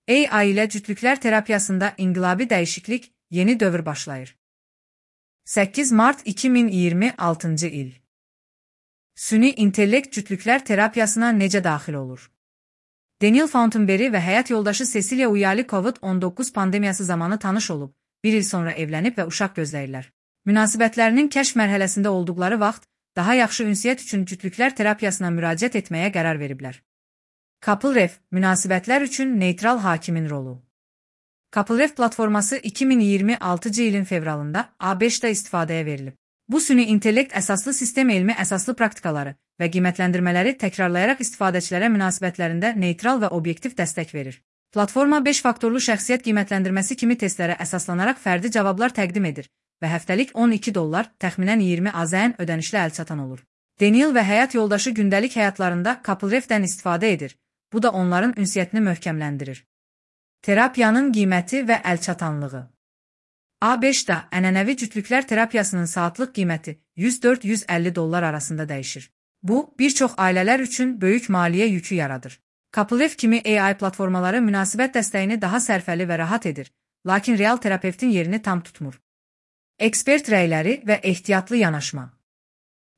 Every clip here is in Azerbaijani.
AI ilə cütlüklər terapiyasında inqilabi dəyişiklik, yeni dövr başlayır. 8 Mart 2026 il. Süni intellekt cütlüklər terapiyasına necə daxil olur? Daniel Fountainberry və həyat yoldaşı Cecilia Uyali COVID-19 pandemiyası zamanı tanış olub, bir il sonra evlənib və uşaq gözləyirlər. Münasibətlərinin kəşf mərhələsində olduqları vaxt, daha yaxşı ünsiyyət üçün cütlüklər terapiyasına müraciət etməyə qərar veriblər. CoupleRef, münasibətlər üçün neytral hakimin rolu. CoupleRef platforması 2026 ilin fevralında A5-də istifadəyə verilib. Bu süni intellekt əsaslı sistem elmi əsaslı praktikaları və qiymətləndirmələri təkrarlayaraq istifadəçilərə münasibətlərində neytral və obyektiv dəstək verir. Platforma 5 faktorlu şəxsiyyət qiymətləndirməsi kimi testlərə əsaslanaraq fərdi cavablar təqdim edir və həftəlik $12, təxminən 20 AZN ödənişlə əlçatan olur. Daniel və həyat yoldaşı gündəlik həyatlarında CoupleRef'dən istifadə edir. Bu da onların ünsiyyətini möhkəmləndirir. Terapiyanın qiyməti və əlçatanlığı. A5-da ənənəvi cütlüklər terapiyasının saatlıq qiyməti $104-150 arasında dəyişir. Bu, bir çox ailələr üçün böyük maliyyə yükü yaradır. CoupleRef kimi AI platformaları münasibət dəstəyini daha sərfəli və rahat edir, lakin real terapevtin yerini tam tutmur. Ekspert rəyləri və ehtiyatlı yanaşma.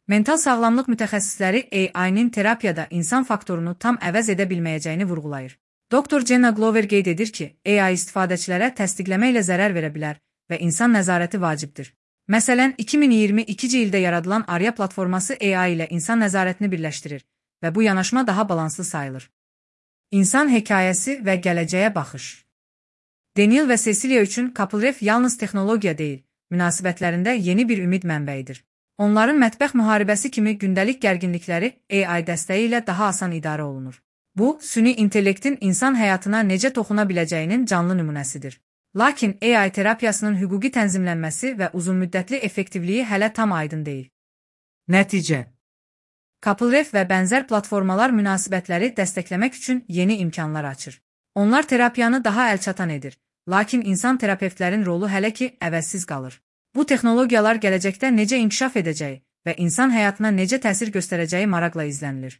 Mental sağlamlıq mütəxəssisləri AI-nin terapiyada insan faktorunu tam əvəz edə bilməyəcəyini vurğulayır. Dr. Jenna Glover qeyd edir ki, AI istifadəçilərə təsdiqləmə ilə zərər verə bilər və insan nəzarəti vacibdir. Məsələn, 2022 ildə yaradılan Arya platforması AI ilə insan nəzarətini birləşdirir və bu yanaşma daha balanslı sayılır. İnsan hekayəsi və gələcəyə baxış. Daniel və Cecilia üçün CoupleRef yalnız texnologiya deyil, münasibətlərində yeni bir ümid mənbəyidir. Onların mətbəx müharibəsi kimi gündəlik gərginlikləri AI dəstəyi ilə daha asan idarə olunur. Bu, süni intellektin insan həyatına necə toxuna biləcəyinin canlı nümunəsidir. Lakin AI terapiyasının hüquqi tənzimlənməsi və uzunmüddətli effektivliyi hələ tam aydın deyil. Nəticə. CoupleRef və bənzər platformalar münasibətləri dəstəkləmək üçün yeni imkanlar açır. Onlar terapiyanı daha əlçatan edir, lakin insan terapevtlərin rolu hələ ki əvəzsiz qalır. Bu texnologiyalar gələcəkdə necə inkişaf edəcəyi və insan həyatına necə təsir göstərəcəyi maraqla izlənilir.